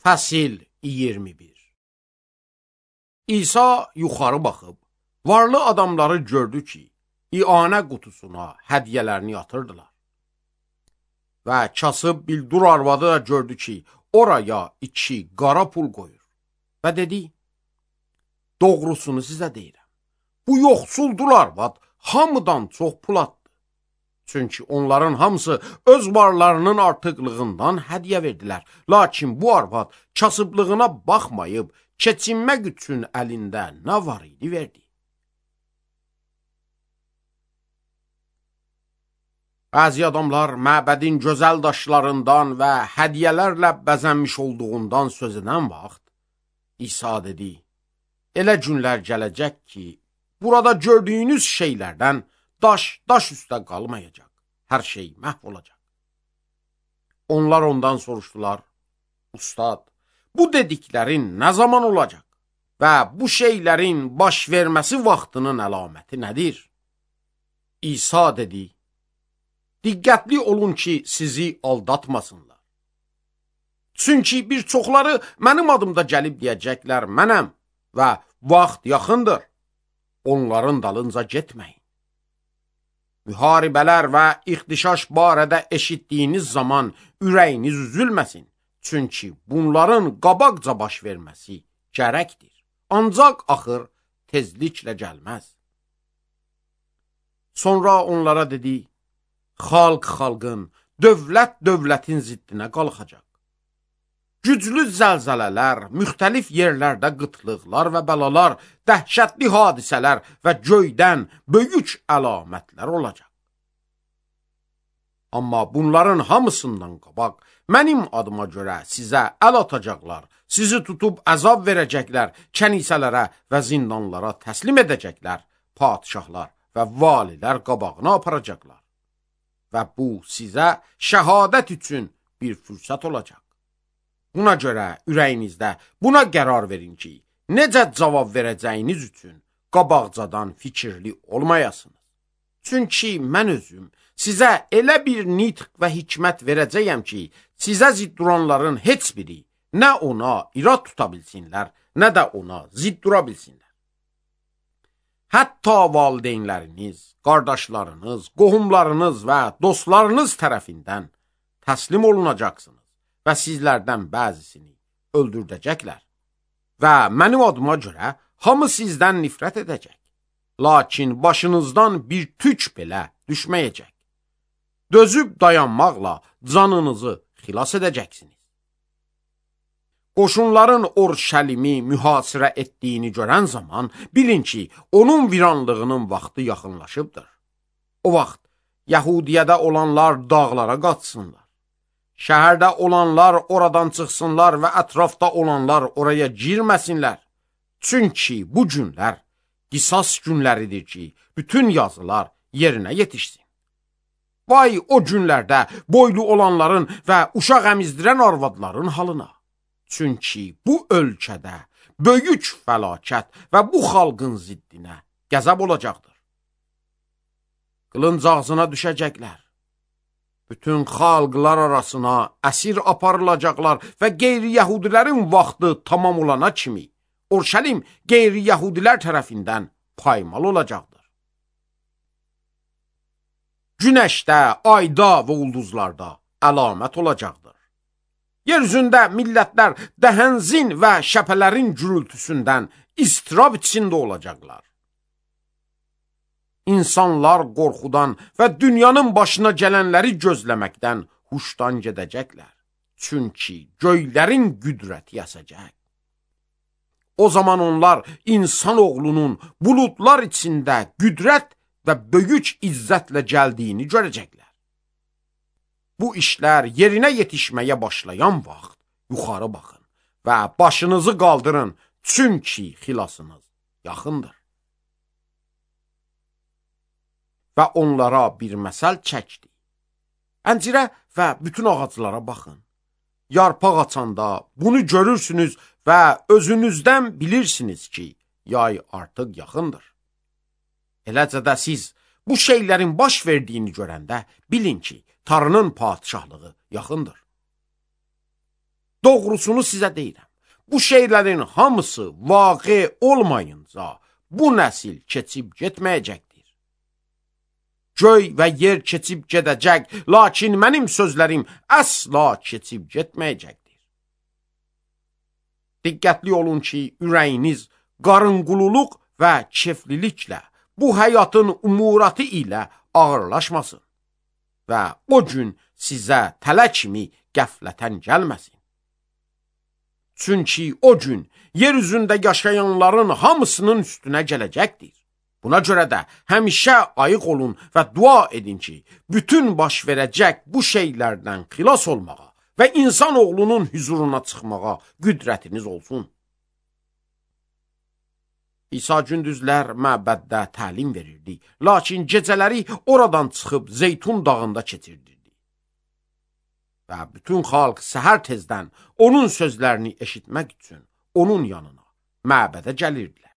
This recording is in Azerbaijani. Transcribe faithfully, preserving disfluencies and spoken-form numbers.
Fəsil iyirmi bir. İsa yuxarı baxıb, varlı adamları gördü ki, ianə qutusuna hədiyyələrini yatırdılar. Və kasıb bildur arvadı da gördü ki, oraya iki qara pul qoyur. Və dedi, doğrusunu sizə deyirəm. Bu yoxsuldur arvad hamıdan çox pul atdı. Çünki onların hamısı öz varlarının artıqlığından hədiyyə verdilər. Lakin bu arvad kasıblığına baxmayıb, keçinmək üçün əlində nə var idi verdi. Bəzi adamlar məbədin gözəl daşlarından və hədiyyələrlə bəzənmiş olduğundan söz edən vaxt, İsa dedi, elə günlər gələcək ki, burada gördüyünüz şeylərdən daş, daş üstə qalmayacaq, hər şey məhv olacaq. Onlar ondan soruşdular, Ustad, bu dediklərin nə zaman olacaq və bu şeylərin baş verməsi vaxtının əlaməti nədir? İsa dedi, diqqətli olun ki, sizi aldatmasınlar. Çünki bir çoxları mənim adımda gəlib deyəcəklər, mənəm və vaxt yaxındır, onların dalınca getməyin. Müharibələr və ixtişaş barədə eşitdiyiniz zaman ürəyiniz üzülməsin. Çünki bunların qabaqca baş verməsi gərəkdir. Ancaq axır tezliklə gəlməz. Sonra onlara dedi, xalq xalqın, dövlət dövlətin ziddinə qalxacaq. Güclü zəlzələlər, müxtəlif yerlərdə qıtlıqlar və bəlalar, dəhşətli hadisələr və göydən böyük əlamətlər olacaq. Amma bunların hamısından qabaq, mənim adıma görə sizə əl atacaqlar, sizi tutub əzab verəcəklər, kənisələrə və zindanlara təslim edəcəklər, padişahlar və valilər qabağına aparacaqlar. Və bu sizə şəhadət üçün bir fürsət olacaq. Buna görə ürəyinizdə buna qərar verin ki, necə cavab verəcəyiniz üçün qabaqcadan fikirli olmayasınız. Çünki mən özüm sizə elə bir nitq və hikmət verəcəyəm ki, sizə zidd duranların heç biri nə ona irad tuta bilsinlər, nə də ona zidd dura bilsinlər. Hətta valideynləriniz, qardaşlarınız, qohumlarınız və dostlarınız tərəfindən təslim olunacaqsınız və sizlərdən bəzisini öldürdəcəklər. Və mənim adıma görə hamı sizdən nifrət edəcək. Lakin başınızdan bir tük belə düşməyəcək. Dözüb dayanmaqla canınızı xilas edəcəksiniz. Qoşunların Orşəlimi mühasirə etdiyini görən zaman bilin ki, onun viranlığının vaxtı yaxınlaşıbdır. O vaxt Yəhudiyədə olanlar dağlara qaçsınlar. Şəhərdə olanlar oradan çıxsınlar və ətrafda olanlar oraya girməsinlər. Çünki bu günlər qisas günləridir ki, bütün yazılar yerinə yetişsin. Vay o günlərdə boylu olanların və uşaq əmizdirən arvadların halına. Çünki bu ölkədə böyük fəlakət və bu xalqın ziddinə qəzəb olacaqdır. Qılınc ağzına düşəcəklər. Bütün xalqlar arasına əsir aparılacaqlar və qeyri-yəhudilərin vaxtı tamam olana kimi Orşəlim qeyri-yəhudilər tərəfindən paymal olacaqdır. Günəşdə, ayda və ulduzlarda əlamət olacaqdır. Yer üzündə millətlər dəhənzin və şəpələrin gürültüsündən istirab içində olacaqlar. İnsanlar qorxudan və dünyanın başına gələnləri gözləməkdən huşdan gedəcəklər. Çünki göylərin qüdrəti əsəcək. O zaman onlar insan oğlunun buludlar içində qüdrət və böyük izzətlə gəldiyini görəcəklər. Bu işlər yerinə yetişməyə başlayan vaxt yuxarı baxın və başınızı qaldırın, çünki xilasınız yaxındır. Və onlara bir məsəl çəkdi. Əncirə və bütün ağaclara baxın. Yarpaq açanda bunu görürsünüz və özünüzdən bilirsiniz ki, yay artıq yaxındır. Eləcə də siz bu şeylərin baş verdiyini görəndə bilin ki, Tanrının padişahlığı yaxındır. Doğrusunu sizə deyirəm. Bu şeylərin hamısı vaqe olmayınca bu nəsil keçib getməyəcəkdir. Göy və yer keçib gedəcək, lakin mənim sözlərim əsla keçib getməyəcəkdir. Diqqətli olun ki, ürəyiniz qarınqululuq və kefliliklə, bu həyatın umuratı ilə ağırlaşmasın və o gün sizə tələ kimi qəflətən gəlməsin. Çünki o gün yer üzündə yaşayanların hamısının üstünə gələcəkdir. Buna görə də həmişə ayıq olun və dua edin ki, bütün baş verəcək bu şeylərdən xilas olmağa və insan oğlunun huzuruna çıxmağa qüdrətiniz olsun. İsa gündüzlər məbəddə təlim verirdi, lakin gecələri oradan çıxıb Zeytun dağında keçirdirdi. Və bütün xalq səhər tezdən onun sözlərini eşitmək üçün onun yanına, məbədə gəlirdilər.